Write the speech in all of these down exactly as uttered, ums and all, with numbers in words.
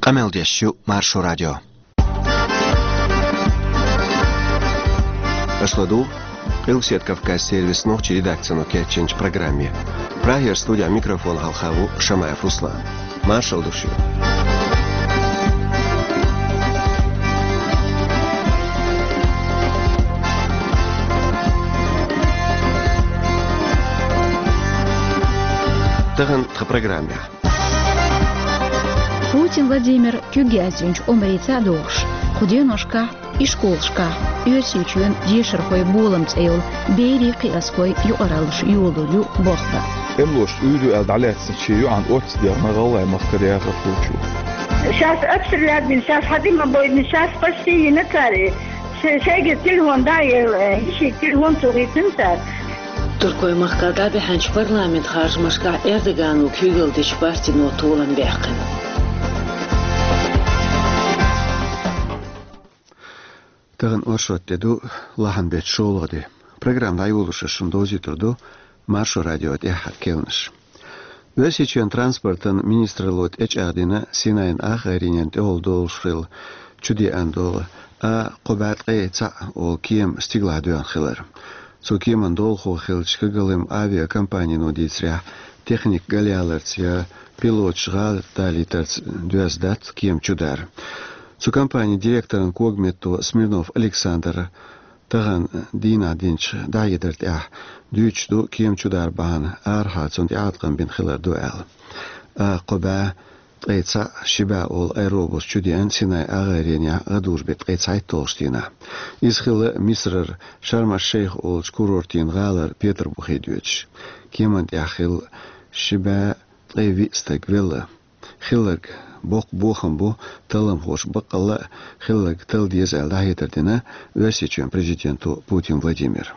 Къамел деш ю Маршо радио. Аша ладугӀу Къилбаседа Кавказан сервисан нохчийн редакцино кечйинчу программе. Прагера студехь микрофон хьалха ву Шамаев Руслан. Маршалла ду шуьга. Тахана тхан программехь. Путин Владимир куьг яздинчу омрийца а догӀуш, кху деношкахь ишколашкахь «Оьрсийчоьнан дешархойн болам» цӀе йолу берийн кхиазхойн юкъараллаш йолалур ю болх бан. Эмлош уьйр ю аьлла дӀалаьцначийн юкъана оццу дегӀна гӀалгӀайн махкара яхар хуучу. Сейчас обстрелять бина, сейчас хьадима бойдина, сейчас почти йина цара. Ше-, шайгара телефон дӀа а елла, э, йишига телефон ца хийцина цара. Туркойн махкахь дӀабаьхьначу парламентан харжамашкахь Эрдогано куьйгалла дечу партино толам баьккхина. Тахана оршот де ду, лахьанбеттан шолгӀа де. Программа дӀайолош ас шуна довзуьйтур ду Маршо радион тӀаьххьара керланаш. Оьрсийчоьнан транспортан министралло тӀечӀагӀдина Синайн агӀаренна тӀехула долуш хилла чудеана долу А кхо бӀе ткъе цхьаъ олу кема стигалахь доьгӀна хилар. Цу кеман долахо хиллачу Когалым авиакомпанино дийцарехь, техника галъяларца я пилоташ гӀала далийтарца доьзна дац кема чудар. Цу компанин директоран когаметто Смирнов Александра тахана дийнахь динчу дӀахьедар тӀехь дуьйцуш ду кема чудар бахьана арахьа цунна тӀеӀаткъам бина хилар ду аьлла. А кхо бӀе ткъе цхьаъ, ши бӀе олу аэробус чудеана Синайн агӀаренехь гӀадужу беттан ткъе цхьайтталгӀачу дийнахь. Иза хилла Мисрара Шарм-аш-Шейх олучу курортийн гӀалара Петарбухе доьдуш. Кеман тӀехь хилла ши бӀе ткъе виъ стаг велла. Хилларг боккха бохам бу, талламхоша баккъалла а хилларг талла деза аьлла дӀахьедар дина Оьрсийчоьнан президенто Путин Владимира.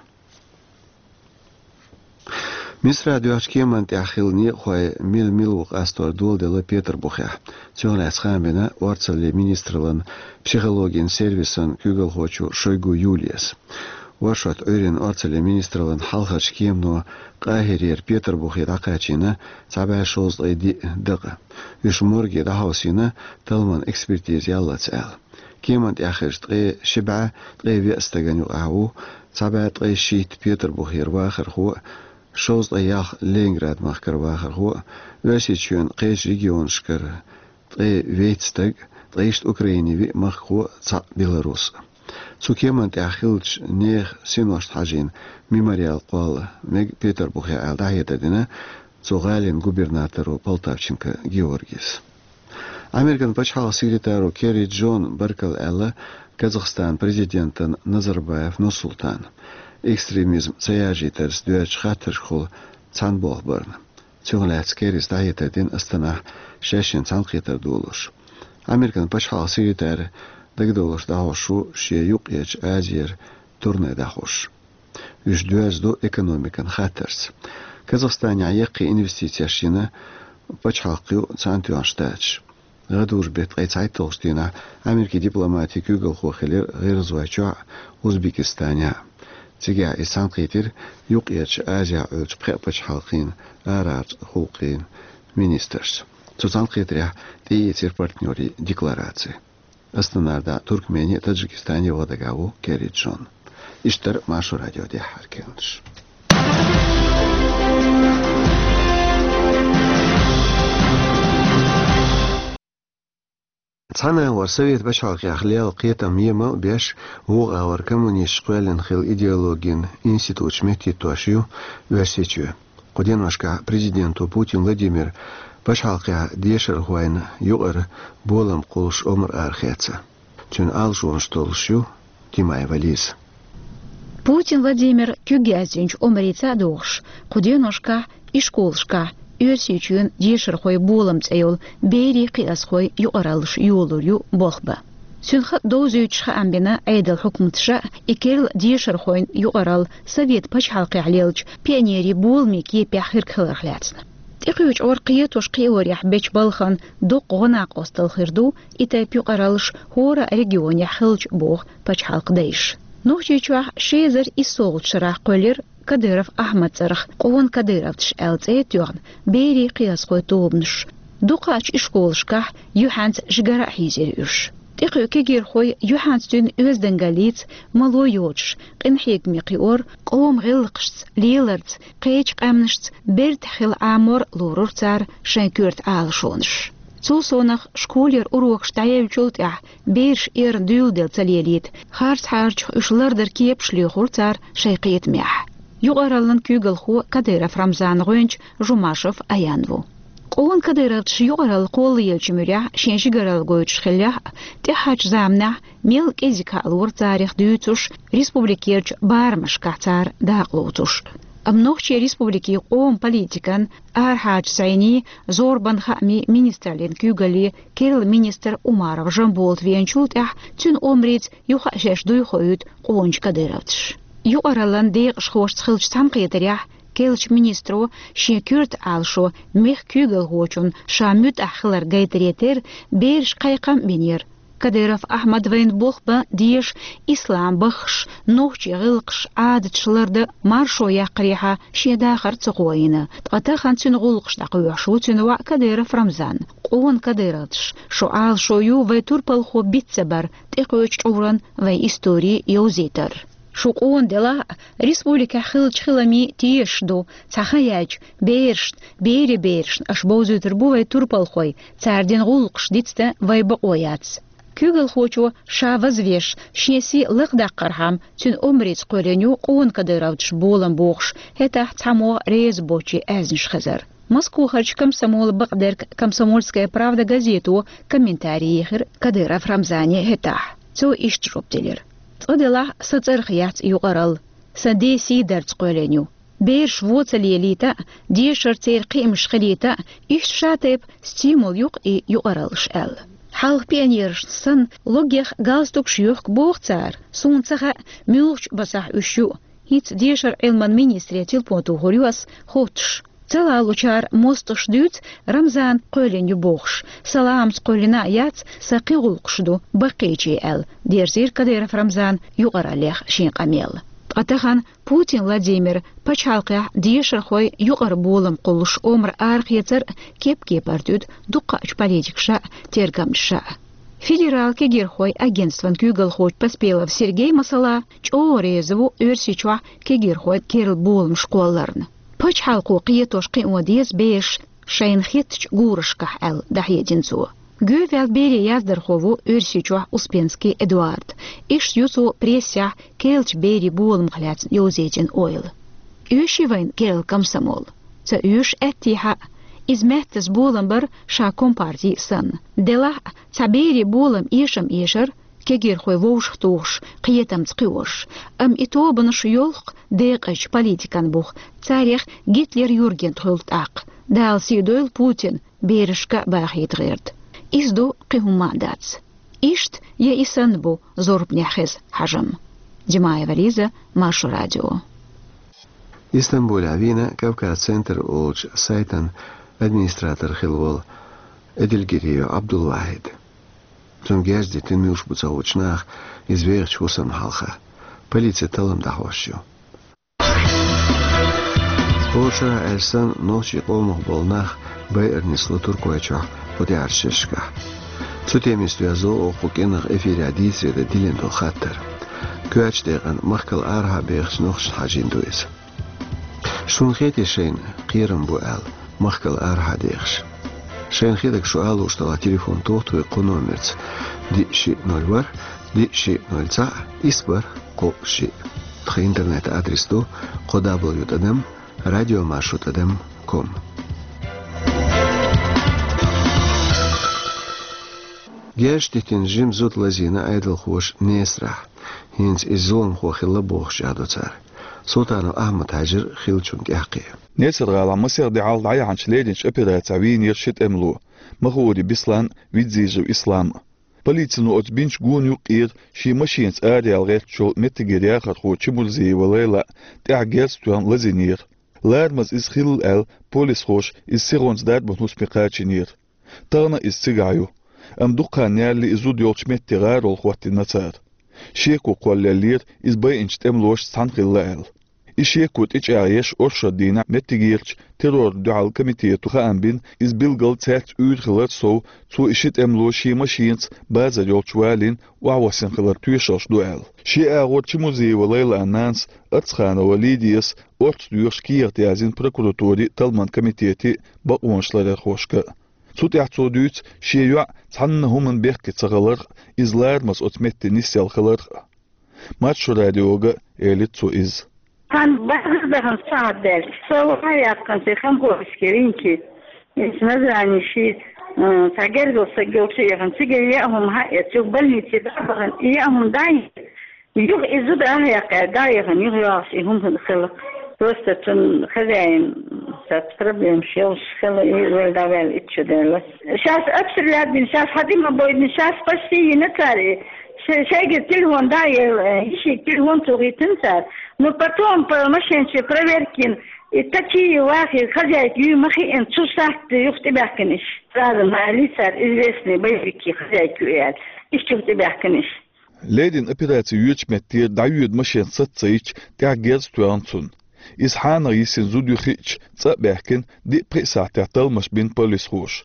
Мисрахь доьхначу кеман тӀехь хилла некъахой мила-мила ву къастор доладелла Петарбухехь. Цунах лаьцна хаам бина орцаллин министраллан психологин сервисан куьйгалхочо Шойгу Юлияс. Оршот Ӏуьйранна орцаллин министраллан хьалхарчу кемано Къахирера Петарбухе дӀакхачийна цхьа бӀе шовзткъе диъ дакъа. Уьш морге дӀахьовсийна, талламан экспертиза яллалц аьлла. Кеман тӀехь хиллачу ткъе ши бӀе ткъе виъ стагана юкъахь ву цхьа бӀе ткъе шийтта Петарбухера вахархо а, шовзткъе ялх Ленинград-махкара вахархо а, Оьрсийчоьнан кхечу регионашкара ткъе вейтта стаг, ткъе ишта Украинин виъ махкахо а, цхьаъ беларус а. Цу кеман тӀехь хиллачу нехан синошна хьажийна мемориал кхолла мега Петарбухехь аьлла дӀахьедар дина цу гӀалин губернаторо Полтавченко Георгийс. Американ пачхьалкхан секретаро Керри Джона баркалла аьлла Казахстанан президентана Назарбаев Нурсултана, экстремизм ца яржийтарца доьзначу хаттаршкахула цхьаьна болх барна. Цунах лаьцна Керрис дӀахьедар дина Астанахь шаьшшинна цхьаьнакхетар долуш. Американ пачхьалкхан секретарь дагадовларш дӀахьош ву шен Юккъерчу Азера турне дӀахьош. Уьш доьзна ду экономикан хаттарца. Казахстанехь яккхий инвестицеш йина пачхьалкх ю Цхьаьнатоьхна Штаташ. ГӀадужу беттан ткъе цхьайтталгӀачу дийнахь Америкин дипломатин куьйгалхо хилира ГӀиргӀазойчохь а, Узбекистанехь а. Цигахь иза цхьаьнакхийтира Юккъерчу Азехь Ӏуьллучу пхеа пачхьалкхийн арахьарчу гӀуллакхийн министршца. Цу цхьаьнакхетарехь тӀеийцира партнерийн деклараци. Астанара дӀа Туркмене а, Таджикистане а ваха дагахь ву Керри Джон. Иштта дара Маршо радион тӀаьххьара керланаш. Цхьана агӀор Совет пачхьалкхехь лелла кхетам емал а беш, вукху агӀор коммунисташа кхоьллина хилла идеологин институташ меттахӀиттош ю Оьрсийчоь. Кху деношкахь президенто Путин Владимира пачхьалкхехь дешархойн юкъара болам кхуллуш омра арахецна. Цуьнан алашонаш толлуш ю Тимаева Лиза. Путин Владимир куьг яздинчу омрийца а догӀуш, кху деношкахь ишколашкахь «Оьрсийчоьнан дешархойн болам» цӀе йолу берийн кхиазхойн юкъараллаш йолалур ю болх бан. Цуьнан хатӀ довзуьйтуш хаам бина Ӏедалан хьукматаша а, и керла дешархойн юкъаралла Совет пачхьалкхехь леллачу пионерийн боламийн кепехь хирг хиларх лаьцна. ТӀекхуьучу гӀор кхетош-кхиорехь бечу балхана доккха гӀо-накъосталла хир ду и тайпа юкъараллаш хӀора а регионехь хилча, боху пачхьалкхан дайша. Нохчийчохь ши эзар иссолгӀачу шарахь кхоьллира Кадыров Ахьмадан цӀарах «Къона кадыровташ» аьлла цӀе а тоьхна, берийн кхиазхойн тобанаш. Дукхачу ишколашкахь юьхьанца жигара а хьийзира уьш. ТӀекхуьу кегийрхой юьхьанца дуьйна оьздангаллица, мало йоцуш, къинхьегаме кхиор, къоман гӀиллакхашца, леларца, кхечу къаьмнашца бердехь хила Ӏамор лорура цара шайн коьрта Ӏалашонаш. Цул совнаха школера урокаш дӀаевллачул тӀаьхьа бераш эрна дуьйладелла ца лелийта, харц хьарчах уьш лардар кепаш лоьхура цара шайн кхетамехь. Юкъараллин куьйгалхо Кадыров Рамзана гӀоьнча Жумашев Аян ву. Къона кадыровцаш юкъаралла кхоллаеллачу муьрехь шен жигаралла гойтуш хиллехь а, тӀаьхьарчу заманахь мел кӀезиг хьалора царах дуьйцуш, республикерчу барамашкахь цара дакъа лоцуш. Амма Нохчийн Республикин къоман политикан, арахьарчу зӀенийн, зорбанан хаамийн министраллин куьйгалле керла министр Умаров Жамболат веначул тӀаьхьа цуьнан омрица юха а шаьш дуй хоуьйту къоначу кадыровцаш. Юкъараллин декъашхошца хиллачу цхьаьнакхетарехь керлачу министро шен коьрта Ӏалашо мехкан куьйгалхочунна ша муьтӀахь хилар гайтаре терра берашка кхайкхам а бинера. Кадыров Ахьмад вайна болх бан дезаш ислам баххаш, нохчийн гӀиллакхаш, Ӏадаташ лардан маршо яккхарехьа шен дахар ца кхоийна, ткъа тахана цуьнан гӀуллакхаш дӀакхоьхьуш ву цуьнан воӀ Кадыров Рамзан. Къона кадыровцаш, шун Ӏалашо ю вайн турпалхо биц ца бар, тӀекхоьчу чкъуран вайн истори йовзийтар. Шу къона делахь а, республикехь хиллачу хиламийн тешаш ду, цхьа хан яьлча, берашна, берийн берашна аша бовзуьйтур бу вайн турпалхой, цара дина гӀуллакхаш дицдан вайн бакъо яц. Куьйгалхочо ша вазвеш, шен сий лакхадаккхархьама, цуьнан омрица кхоьллина ю къона кадыровцаш болам бохуш, хӀетахь цхьаммо реза боцчийн аьзнаш хезар. Москвахарчу комсомолан бакъдерг «Комсомольская правда» газето комментарий ехира Кадыров Рамзане хӀетахь. Цо иштта жоп делира: «Цкъа делахь а, сан цӀарах яц юкъаралла, сан ден сий дарца кхоьллина ю. Бераш вон ца лелийта а, дешар церан кхиамаш хилийта а, иштта шатайпа стимул ю-кх и юкъараллаш», — аьлла. Хьалха пионерашна санна логгех галстукаш йохку боху цара. Суна ца хаьа, муьлхачу басахь уьш ю. ХӀинца дешаран Ӏилман министре телефон тухур ю ас, хоттуш. Ца лалучара мостагӀаша дуьйцу, Рамзана кхоьллина ю бохуш. Сан ламаца кхоьллина а яц, сан кхин гӀуллакхаш ду, баккхийчийн аьлла, дерзийра Кадыров Рамзана юкъараллех шен къамел. Ткъа тахана Путин Владимира пачхьалкхехь дешархойн юкъара болам кхуллуш омра арахецар а кеп-кепара туьду дуккхачу политикаша а, тергамчаша а. Федералан кегийрхойн агентстван куьйгалхочу Поспелов Сергей, масала, чӀогӀа реза ву Оьрсийчохь кегийрхойн керла боламаш кхолларна. Пачхьалкхо кхетош кхио деза бераш шайна хеттачу гурашкахь, аьлла, дӀахьедина цо. Гуьйваьлла берийн яздархо ву Оьрсийчохь Успенский Эдуард. Иштта ю цо прессехь керлачу берийн боламах лаьцна йовзийтина ойла. Оьший вайна керла комсомол? Ца оьшу аьттехьа а, иза маьттаза болам бар ша компартий санна. Делахь а, цхьа берийн болам эшам эшар, кегийрхой вовшахтухуш, кхетамца кхиош. Амма и тобанаш йолх декъазчу политикан бух, царех Гитлер Юрген тхуьлу тӀаккха. Дала сий дойла Путин, берашка а бахийта гӀерта. Иза ду, кхин хӀумма а дац. Иштта я и санна бу зорбанехь хеза хьажам. Димаева Лиза, Маршо радио. Истанбулехь вийна «Кавказ-центр» олучу сайтан администратор хилла волу Эдильгириев Абдулвахид. Цунна герз дитина муьлш бу ца хуучу наха, иза вехачу хӀусамна хьалха. Полици таллам дӀахьош ю. Оша аьлла санна, нохчийн къомах болу нах байар нисло Туркойчохь кху тӀаьхьарчу шерашкахь. Цу темица доьзна оха кху кӀиранах эфирехь дийцаре дан диллина долу хаттар. Коьртачу декъана махкал арахьа бехачу нохчашна хьажийна ду иза. Шуна хетий шайна кхерам бу аьлла, махкал арахьа дехаш? Шайна хетарг шу ала лууш делахь, телефон туху вай кху номерца: диъ шиъ ноль ворхӀ, диъ шиъ ноль цхьаъ, исс бархӀ кхоъ шиъ. Тхан интернет-адрес ду: кхо дабл ю тӀадам радиомаршо тӀадам ком. Герз дитина жима зуда лазийна Ӏедалхоша Несарахь. ХӀинца иза зуламхо хилла бохуш чӀагӀдо цара. Султанов Ахьмад хьаьжира хиллачунна тӀаьххье. Несар-гӀалахь масех де хьалха дӀаяьхьначу леринчу операцехь вийнера ши тӀемало: Махури Беслан, Видзижев Ислам. Полицино оцу бинчу гонан юккъера шен машенаца араяла гӀертачу меттигера яхархо Чемурзиева Лайла тӀехь герз тоьхна лазийнера. Ларамаза иза хилла аьлла, полисхоша иза сихонца дарбан хӀусаме кхачийнера. Тахана а иза цигахь ю. Амма дукха хан ялале и зуда йолчу метте гӀарол хӀоттийна цара. Шеко кхоллаеллера, иза байинчу тӀемалошца цхьаьна хилла аьлла. И шеко тӀечӀагӀъеш оршот дийнахь меттигерчу террорна дуьхьал комитето хаам бина, иза билггал цаьрца уьйр хилар сов, цо и ши тӀемало шен машенаца базар йолчу валийна охьавоссина хилар тоьшаллаш ду аьлла. Шен агӀор Чемурзиева Лайлан нанас Ацханова Лидияс орца доьхуш кехат яздина прокуратуре а, талламан комитете а, бакъонашларъярхошка а. Цу тӀехь цо дуьйцу шен йоӀ цхьанна хӀуманна бехке ца хиларх а, иза ларамаза оцу метте нисъелла хиларх а. Маршо радиога элира цо иза. Цхьана базар дахана сахьат даьлча, со ваха яьккхина цхьа хамхоьрске винки. Иза Назрани ши, э, цхьа гергал стаг йолчу а яхана, цигара яа хӀума хьаэца, юха больнице дӀа а бахана, и яа хӀума дӀа а йина. Юха и зуда а яьккхина, дӀа а яхана, юха йогӀуш и хӀума хила. Просто цуьнан хозяин, цхьацца проблемаш йолуш хила, и вала дӀаваьлла итт шо даьлла. Шаьш обстрелять бина, шаьш хьан тӀе ма бойдина, шаьш почти йина цара и. Ш-, шайгара телефон дӀа а елла, э, йишига телефон цо хийцина цара. Но потом по машенче проверка йина, и такие вахи, хозяйка ю ма хиъна, цу сахьте юха тӀебаьхкина иш. Сразу ма аьллий цара, известный боевики хозяйка ю аьлла. Иштта юха тӀебаьхкина иш. Леррина операци йоьдучу меттера дӀайоьду машен саца ца йича, тӀехь герз тоьхна цунна. Иза хьанах йисина зуда ю хиъча, цӀа а баьхкина, диъ-пхиъ сахьтехь талламаш бина полисхоша.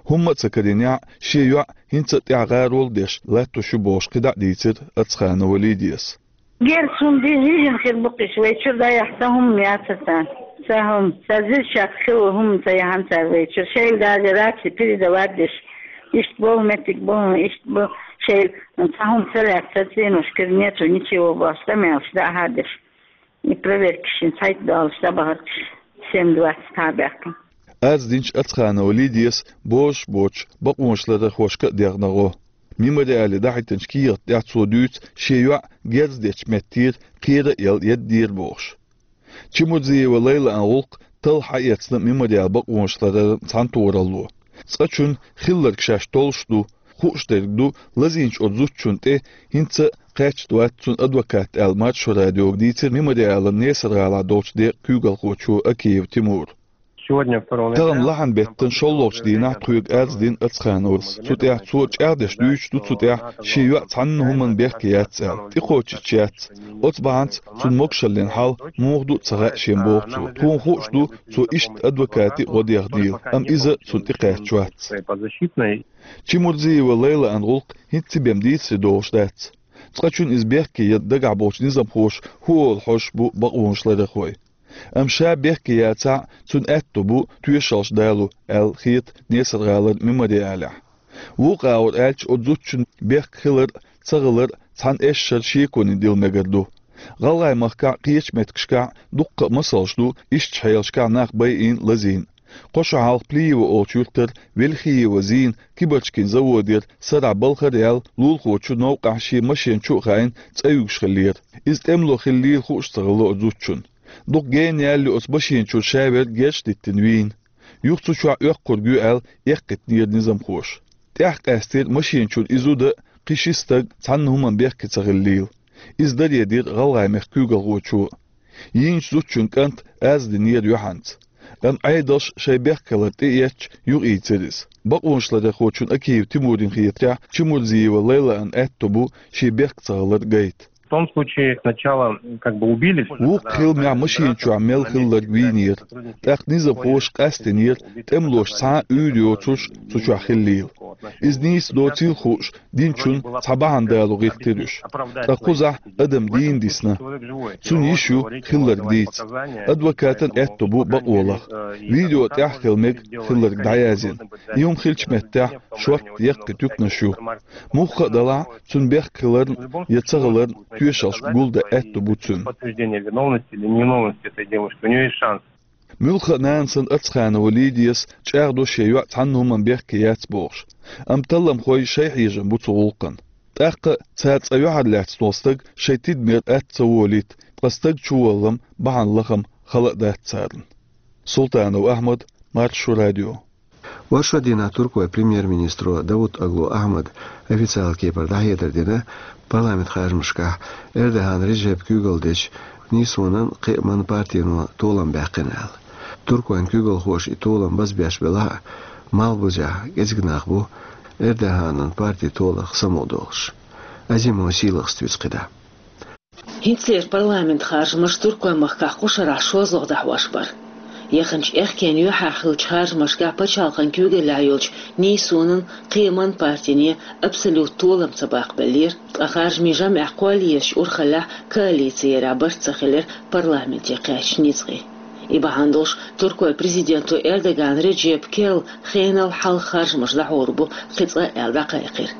ХӀумма а ца карийнехь, шен йоӀ хӀинца а тӀехь гӀарол а деш латтош ю бохуш кхидӀа а дийцира Ацханова Лидияс. Герз хӀума дийна хир бу-кх иш, вай чуьра дӀаяхьа сан хӀума яцара царна. Сан хӀума, сан зирчакх хилла хӀума ца яхьана цара вай чуьра. Шайла даже раци передавать деш, иштта боху меттиг боху, иштта бу, шайла сан хӀума ца лаьцна, сан цӀеношкара нету ничего бохуш, къамелаш дӀа а хьадеш. И проверкаш шин цхьайтта долуш дӀабахарх семь двадцать хьабаьхкина. Арз динчу Ацханова Лидияс бозуш боцуш бакъонашларъярхошка а дегӀна гӀо. Мемориале дахьийтинчу кехат тӀехь цо дуьйцу шен йоӀ герз дечу меттера кхера а елла едда дера бохуш. Чемурзиева Лайлан гӀуллакх талха хьаэцна мемориал бакъонашларъяран цхьаьнатохаралло. Цкъачунна хилларг шаьш толлуш ду, хууш дерг ду, лазийначу оцу зудчунна тӀе хӀинца а кхаьчна вац цуьнан адвокат аьлла, Маршо радиога дийцира Мемориалан Несар-ГӀалахь долчу декъан куьйгалхочо Акиев Тимура. Сегодня второго ноября. Тахана лахьан беттан шолгӀачу дийнахь тхоьга арз дина Ацхановас. Цу тӀехь цо чӀагӀдеш дуьйцуш ду цу тӀехь шен йоӀ цхьанна хӀуманна бехке яц аьлла. ТӀекхочуьйтуш яц. Оцу бахьанца цуьнан могушаллин хьал муха ду а ца хаьа шена боху цо. Тхуна хууш ду, цо иштта адвокате а гӀо дехнийла, амма иза цунна тӀекхаьчна вац. Чемурзиева Лайлан гӀуллакх хӀинцца бен дийцаре догӀуш дац. Цкъачунна иза бехке ян дагахь болчу низамхоша хӀун олу хьожуш бу бакъонашларъярхой. Амма ша бехке яцахь а, цуьнан аьтто бу тоьшаллаш дало, аьлла хета Несар-ГӀалара Мемориалехь. Вукху агӀор аьлча, оцу зудчун бехке хилар а, ца хилар а цхьана эшшара шеконе дилла мегар ду. ГӀалгӀай махкахь а, кхечу меттигашкахь а дуккха а масалш ду, ишттачу хьелашкахь нах байина а, лазийна а. Кхо шо хьалха Плиево олучу юьртара Вельхиева Зина кибарчкийн заводера сарахь балхара яьлла лулахочун новкъахь шен машен чу а хаийна цӀа юьгуш хиллера. Иза тӀемало хиллийла хууш ца хилла оцу зудчунна. Дукха гена яьлла оцу машен чуьра ша верг герзаш диттина вийна. Юха цу чохь оьккхург ю аьлла, эккхийтинера низамхоша. ТӀаьхьа къаьстира машен чуьра и зуда а, кхин ши стаг а цхьанна хӀуманна бехке ца хиллийла. Иза даре дира ГӀалгӀай мехкан куьйгалхочо. Йийначу зудчун кӀанта арз динера юьхьанца. Амма Ӏедалша шайн бехке хилар тӀеэцча, юхаийцира иза. Бакъонашларъярхочун Акиев Тимурна хетарехь, Чемурзиева Лайлан аьтто бу шен бехке ца хилар гайта. В том случае сначала как бы убили. Вукху хиламехь машен чохь мел хилларг вийнера. ТӀаккха низамхоша къастийнера тӀемалоша цхьа а уьйр йоцурш цу чохь хиллийла. Иза нийса доцийла хууш, динчунна цхьа бахьана дало гӀиртира уьш. Ткъа кхузахь адам дийна дисна. Цуьнан йиша ю хилларг дийца. Адвокатан аьтто бу бакъо лаха. Видео тӀехь а хила мега хилларг дӀаяздина. И хӀума хиллачу меттехь шортта яккхий туьканаш ю. Мухха а делахь, цуьнан бехке хиларна я ца хиларна тоьшаллаш гулдан аьтто бу цуьнан. Подтверждение виновности или невиновности этой девушки. У неё есть шанс. Муьлхха а нана санна Ацханова Лидияс чӀагӀдо шен йоӀ цхьанна хӀуманна бехке яц бохуш. Амма талламхой шайн хьежам бу цу гӀуллакхна. ТӀаккха цара цкъа юьхьарлаьцна волу стаг шайн тидамера атта ца волийта, ткъа стаг чуваллам бахьана лахам хала а дац царна. Султанов Ахьмад, Маршо радио. Оршот дийнахь туркойн премьер-министро Давутоглу Ахьмада официалан кепара дӀахьедар дина парламентан харжамашкахь, Эрдоган Реджепа куьйгалла дечу НИСУ-нан кхиаман партино толам баьккхина аьлла. Туркойн куьйгалхоша и толам базбеш белахь а, малхбузехь кӀезиг нах бу Эрдоганан парти толарх самукъадолуш. Азимов Сийлахьас дуьйцу кхидӀа. ХӀинцалера парламентан харжамаш Туркойн махкахь кху шарахь шозлагӀа дӀахьош бара. Яханчу аьхкенан юьххьехь хиллачу харжамашкахь пачхьалкхан куьйгаллехь йолчу нийсонан, кхиаман партине абсолют толам ца баккхабеллера, ткъа харжамийн жамӀехь кхоллаерчу урхаллехь коалици ярехь барт ца хилира парламенте кхаьчначу ницкъийн. И бахьана долуш Туркойн президенто Эрдоган Реджепа керла хенал хьалха харжамаш дӀахьур бу кхин цкъа аьлла дӀакхайкхира.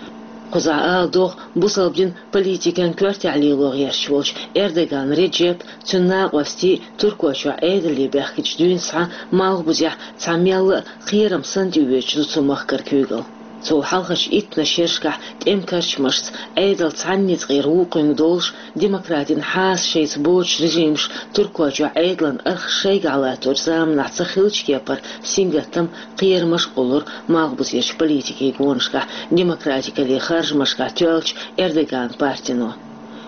Кхузахь ала догӀу, бусалба динан политикан коьртехь лело гӀерташ волчу Эрдоган Реджепа, цуьнан накъостий Туркойчохь Ӏедале баьхкича дуьйна схьа малхбузехь цхьа мелла а кхерам санна тӀеоьцуш ду цу махкара куьйгалла. Цул хьалхарчу иттаннаш шерашкахь тӀеман карчамашца, Ӏедалца цхьана ницкъера вукхуьнга долуш, демократин хьаса шайца боцуш режимаш Туркойчохь Ӏедалан архаш шайгахь латторчу заманахь ца хиллачу кепара сингаттам, кхерамаш а кхуллура малхбузерчу политикийн гонашкахь, демократикаллин харжамашкахь тоьллачу Эрдоган партино.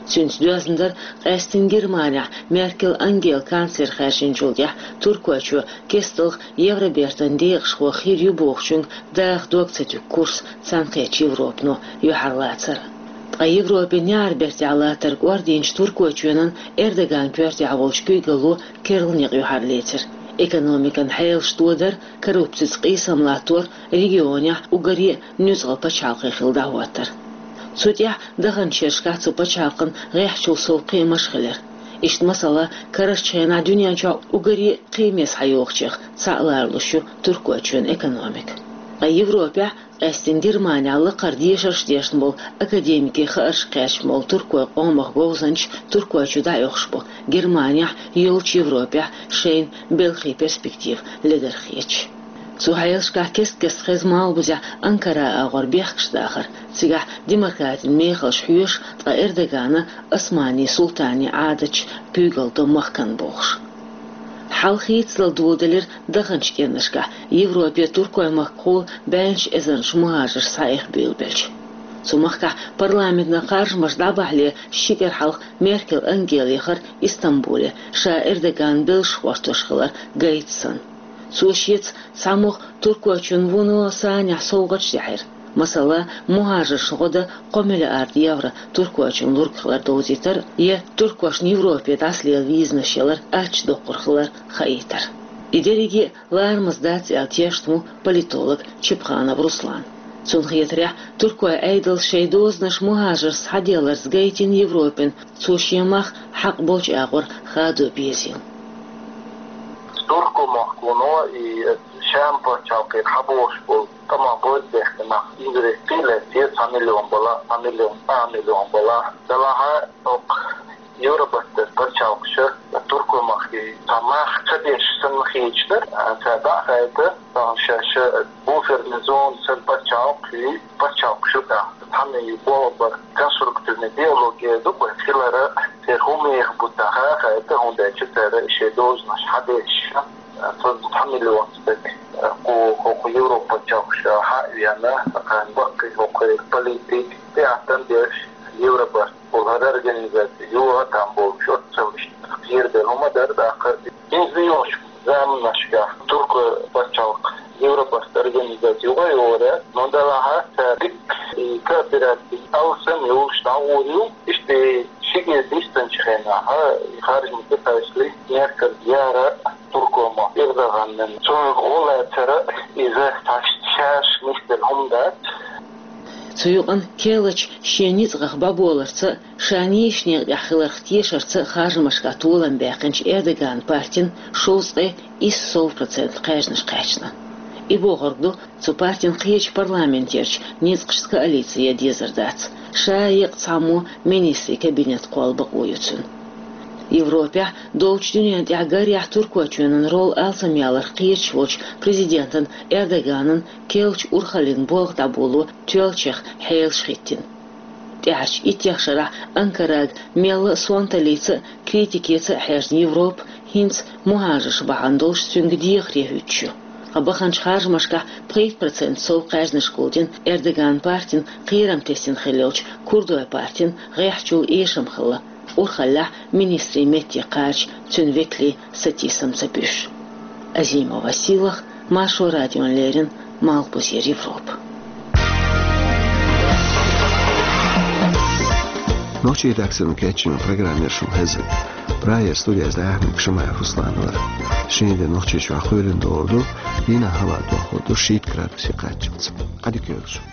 Цуьнца доьзна дара къаьсттина Германехь Меркель Ангела канцлер хаьржинчул тӀаьхьа Туркойчо кестта Евробертан декъашхо хир ю бохучуьнга даха дог ца туьгу курс цхьаьнакхеттачу Европано юьхьарлацар. Ткъа Европин неӀарбертехь латтар кӀордийначу Туркойчоьнан Эрдоган коьртехь волчу куьйгалло керла некъ юьхьарлецира. Экономикан хьелаш тодар, коррупцица къийсам латтор, регионехь уггаре а нуьцкъала пачхьалкхе хилла дӀахӀоттар. Цу тӀехь даханчу шерашкахь цу пачхьалкхан гӀеххьачул сов кхиамаш а хилира. Иштта, масала, карарчу хенахь дуьнен чохь уггаре а кхиаме схьайогӀучех цхьаъ ларалуш ю Туркойчоьнан экономика. Ткъа Европехь, къаьсттина Германехь, лакхара дешарш а дешна болу академикийн хаарш кхаьчна болу туркойн къомах говзанчаш Туркойчу дӀаоьхуш бу, Германехь, йолчу Европехь шайна белхий перспектива ледара хеташ. Цу хьелашкахь кест-кеста хеза малхбузехь Анкара агӀор бехкаш дахар, цигахь демократин мехаллаш хьоьшу, ткъа Эрдогана османийн султанийн Ӏадаташ куьйгалла до махкана бохуш. Хьал хийцадала доладелира даханчу кӀирнашкахь, Европе Туркойн махкахула бӀеннаш эзарнаш мухӀажарш схьаэха буьйлабелча. Цу махкахь парламентан харжамаш дӀабахьале ши кӀира хьалха Меркель Ангела яхара Истамбуле, ша Эрдоган белшаш хӀоттош хилар гайта санна. Цо шеца цхьамогӀа Туркойчун вуно санехь совгӀаташ дехьира. Масала, мухӀажаршна гӀо дан кхо миллиард евро Туркойчун лург хилар довзийтар я туркошна Европе дӀасалела визанаш ялар ачча доккхур хилар хаийтар. И дерриге а ларамаза дац аьлла тешна ву политолог Чепханов Руслан. Цунна хетарехь, туркойн Ӏедалс шайн дозанаш мухӀажаршца схьаделларца гайтина Европина, цо шен мах хьакъ болчу агӀор хадо безийла. Туркойн махкахула и Шам пачхьалкхера хьабогӀуш болу тӀамах бозбехке нах иза кхин а лаьцна, цхьа миллион балахь, цхьа миллион, цхьа миллион балахь, делахь а, хӀокху Евробарта пачхьалкхаша Туркойн махкахь цхьа мах ца деш санна хеташ дара, цара дӀа а хаийта, тахана шаьш буферный зона санна пачхьалкх ю, пачхьалкхаш ю тӀаккха. Цхьана и болх бар конструктивный диалог эр ду, вайн хилар, церан хӀун меха бу тӀаккха хаийта, хӀунда аьлча цара шайн дозанаш хьадеш, цхьа миллион стаг кху, хӀокху Европа пачхьалкхаша хьа а веана, кхана баккхий хӀокху политик, тӀеӀаткъам беш, Евробарт олу хӀара организаци юха а там болчу оццал иштта кхерабелла хӀума дара тӀаккха. ХӀинца йолчу заманашкахь туркойн пачхьалкх Евробарт организаци юха а йогӀур яц, но делахь а цара дика и коопераци алсам йолуш дӀагӀур ю, иштта и шиге дистанчу хенахь, и харжамийн тӀекхачале, Меркель яра туркойн махка Эрдоганна, цунах гӀо лацар а иза цхьа шаьш нисделла хӀума дац. Цу юкъана керлачу шен ницкъах бӀобаларца а, ша нийсачу некъа тӀехь хиларх тешарца а харжамашкахь толам баьккхинчу Эрдоганан партина шовзткъе исс сов процент кхаьжнаш кхаьчна. И бохург ду, цу партин кхечу парламентерчу ницкъашца коалици ян дезар дац. Ша а, еккъа цхьаммо министрийн кабинет кхолла бакъо ю цуьнан. Европехь, долчу дуьнен тӀехь гарехь Туркойчоьнан роль алсам яларх кхераш волчу президентан Эрдоганан керлачу урхаллин болх дӀаболо тоьллачех хьелаш хӀиттина. ТӀаьхьарчу иттех шарахь Анкарага мелла а сонталлица а, критикица а хьаьжна Европа хӀинца мухӀажарш бахьана долуш цуьнга дехаре хӀуьттуш ю. Ткъа баханчу харжамашкахь пхийтта процент сов кхаьжнаш гулдина Эрдоганан партина кхерам тесна хилла йолчу курдойн партина гӀеххьачул эшам хилла, урхаллехь министрийн метте кхача цуьнан векалийн сатийсам ца буьсуш. Азимова Сийлаха, Маршо радиона леррина, Малхбузера Европа. Нохчийн редакцино кечйина программа яра шуна хезар. Прагера студехь дӀаяьхьнарг Шамаев Руслан вара. Шен дийнахь Нохчийчохь кхоьлина догӀур ду, дийнахь хӀаваъ дохур ду шийтта градусе кхаччалц. Ӏадика йойла шун.